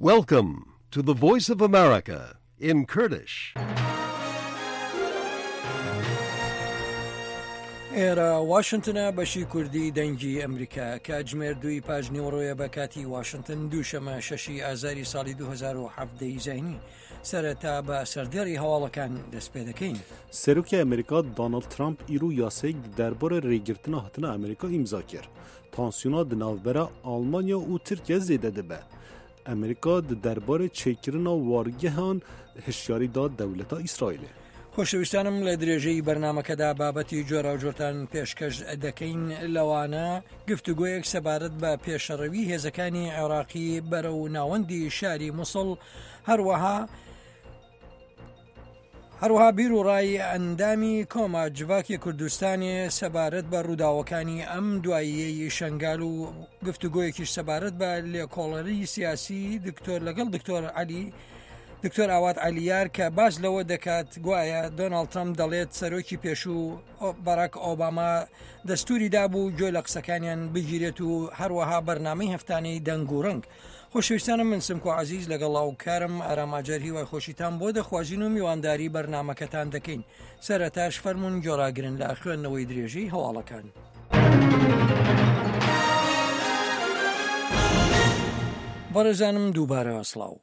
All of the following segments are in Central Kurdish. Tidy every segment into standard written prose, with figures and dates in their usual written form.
Welcome to the Voice of America in Kurdish. ئێرە واشنتنە بەشی کوردی دەنگی ئەمریکا کاتژمێر دووی پاش نیوەڕۆیە بە کاتی واشنتن دووشەمە شەشی ئازاری ساڵی 2017 زینی سەرەتا بە سەردێڕی هەواڵەکان دەست پێ دەکەین. سەرۆکی ئەمریکا داناڵد ترامپ ئیرو یاسەیەک دەربارەی رێگرتنا هاتنا ئەمریکا ئیمزا کرد. تانسیۆنا di navbera Almanya û Tirkiye zêde dibe. Amerîka di derbarê çêkirina wargehan hişyarî da dewleta Îsraîlê. خۆشەویستانم لە درێژەی بەرنامەکەدا بابەتی جۆراوجۆرتان پێشکەش دەکەین لەوانە گفتوگۆیەک سەبارەت بە پێشەڕەوی هێزەکانی عێراقی بەرەو ناوەندی شاری موسڵ هەروەها هەروەها بیر و ڕای ئەندامی کۆما جڤاکی کوردستانی سەبارەت بە ڕووداوەکانی ئەم دواییەی شنگال و گفتوگۆیەکیش سەبارەت بە لێکۆڵەری سیاسی دکتۆر لەگەڵ دکتۆر علی دکتۆر ئاوات علیار کە باس لەوە دەکات گوایە دۆناڵد ترەمپ دەڵێت سەرۆکی پێشوو باراک ئۆباما دەستوری دابوو گوێ لە قسەکانیان بگیرێت و هەروەها بەرنامەی هەفتانەی دەنگ و ڕەنگ. خۆشەویستانم من سمکۆ عەزیز لەگەڵ هاوکارم ئارام ئاجەر هیوای خۆشیتان بۆ دەخوازین و میوانداری بەرنامەکەتان دەکەین سەرەتاش فەرمونون گۆڕاگرن لە خوێندنەوەی درێژەی هەواڵەکان. بەڕێزانم دووبارە سڵاو.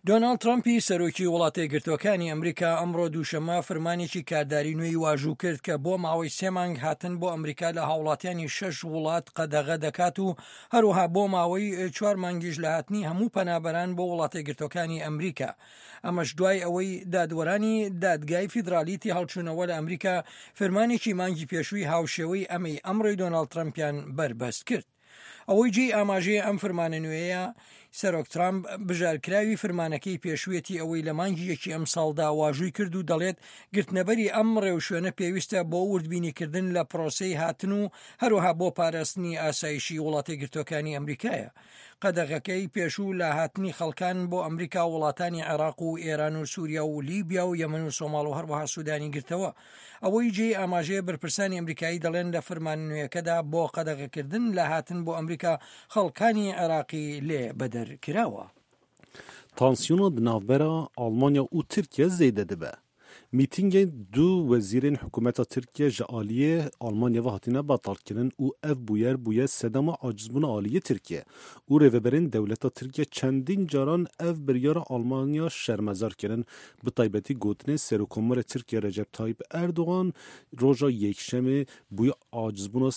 دۆناڵد ترەمپی سەرۆکی وڵاتەیەکگرتووەکانی ئەمریکا ئەمڕۆ دووشەممە فرمانێکی کارداری نوێی واژوو کرد کە بۆ ماوەی سێ مانگ هاتن بۆ ئەمریکا لە هاوڵاتیانی شەش وڵات قەدەغە دەکات و هەروەها بۆ ماوەی چوار مانگیش لە هاتنی هەموو پەنابەران بۆ وڵاتەیەکگرتووەکانی ئەمریکا. ئەمەش دوای ئەوەی دادوەرانی دادگای فیدرالی تێهەڵچوونەوە لە ئەمریکا فرمانێکی مانگی پێشووی هاوشێوەی ئەمەی ئەمڕۆی دۆناڵد ترەمپیان بەربەست کرد. ئەوەی جێی ئاماژەیە ئەم فرمانە نوێیە سەرۆک ترامپ بژارکراوی فرمانەکەی پێشوویەتی ئەوەی لە مانگی یەکی ئەمساڵدا واژووی کرد و دەڵێت گرتنەبەری ئەم ڕێوشوێنە پێویستە بۆ وردبینیکردن لە پرۆسەی هاتن و هەروەها بۆ پاراستنی ئاسایشی وڵاتەیەکگرتووەکانی ئەمریکایە. قەدەغەکەی پێشوو لە هاتنی خەڵکان بۆ ئەمریکا وڵاتانی عێراق و ئێران و سووریا و لیبیا و یەمەن و سۆماڵ و هەروەها سوودانی گرتەوە. ئەوەی جێی ئاماژەیە بەرپرسانی ئەمریکایی دەڵێن لە فرمانە نوێیەکەدا بۆ قەدەغەکردن لە هاتن بۆ ئەمریکا خەڵکانی عێراقی لێ بەدەر کراوە. Tansiyona di navbera Almanya û Tirkiye zêde dibe. Mîtîngên du wezîrên hikûmeta Tirkiye ji aliyê Almanya ve hatine betalkirin û ev bûyer bûye sedema acizbûna aliyê Tirkiye û rêveberên dewleta Tirkiye çendîn caran ev biryara Almanya şermezar kirin Bi taybetî gotinên Serokkomarê Tirkiye Recep Tayyip Erdogan roja Yekşemê bûye acizbûna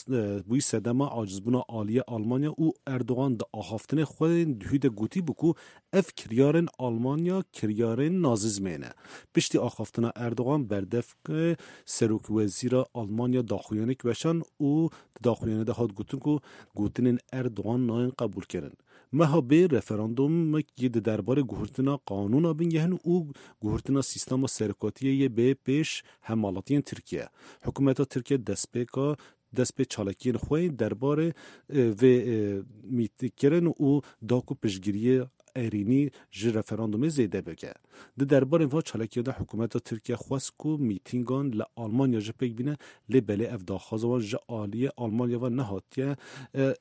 bûyî sedema acizbûna aliyê Almanya û Erdogan di axaftinê xwe yên duhî de gotîbû ku ev kiryarên Almanya kiryarên nazîzmê ne. Piştî axaftina Erdogan berdevkê Serokwezîra Almanya daxuyanîk weşand û di daxuyanî de hat gotin ku gotinên Erdogan nayên qebûlkirin. Meha bê referandumek yê di derbarê guhertina qanûna bingehin û guhertina sîstema serokatiyê yê bê pêş hemwelatiyên Tirkiye. Hikûmeta Tirkiye destpêka dest pê çalakiyên xwe yên derbarê vê mîtkirin û da ku piştgiriyê erênî ji referandumê zêde bike. Di derbarê va çalakiyan de hikûmeta Tirkiye xwest ku mîtîngan li Almanya jî pêk bîne lê belê ev daxwaza wan ji aliyê Almanya ve nehatiye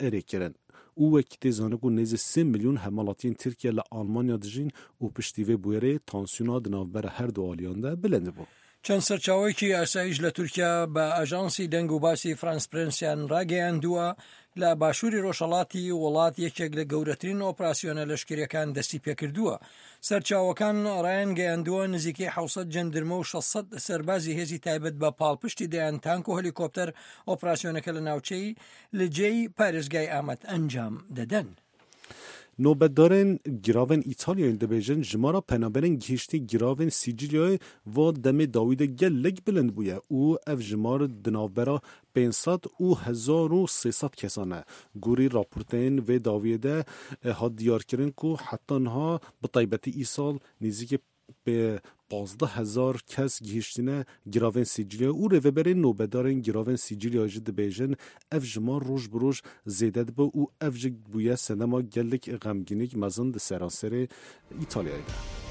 erêkirin. Û wekî tê zanîn ku nêzî sê milyon hemwelatiyên Tirkiye li Almanya dijîn û piştî vê bûyerê tansiyona di navbera her du aliyan de bilind bû. چەند سەرچاوەیەکی ئاسایش لە تورکیا بە ئاژانسی دەنگ و باسی فرانس پرێنسیان ڕاگەیاندووە، لە باشووری ڕۆژهەڵاتی وڵات یەکێک لە گەورەترین ئۆپراسیۆنە لەشکرییەکان دەستی پێکردووە. سەرچاوەکان ڕایانگەیاندووە، نزیکەی 700 جەندرمە و 600 سەربازی هێزی تایبەت بە پاڵپشتی دەیان تانک و هەلیکۆپتەر ئۆپراسیۆنەکە لە ناوچەی لجێی پارێزگای ئامەد ئەنجام دەدەن. Nobetdarên giravên Îtalyayê dibêjin jimara penaberên gihîştî giravên Sîcîlyayê va demê dawî de gelek bilind bûye û ev jimar di navbera 500 û 1300 kesan e. Gorî raportên vê dawiyê de hat diyarkirin ku heta niha bi taybetî îsal nêzîkî Pê 15 hezar kes gihîştine giravên Sîcîlyayê û rêveberên nobedarên giravên Sîcîlyayê jî dibêjin ev jimar roj bi roj zêde dibe û ev jî bûye sedema gelek xemgînîk mezin di seranserê Îtalyayê de.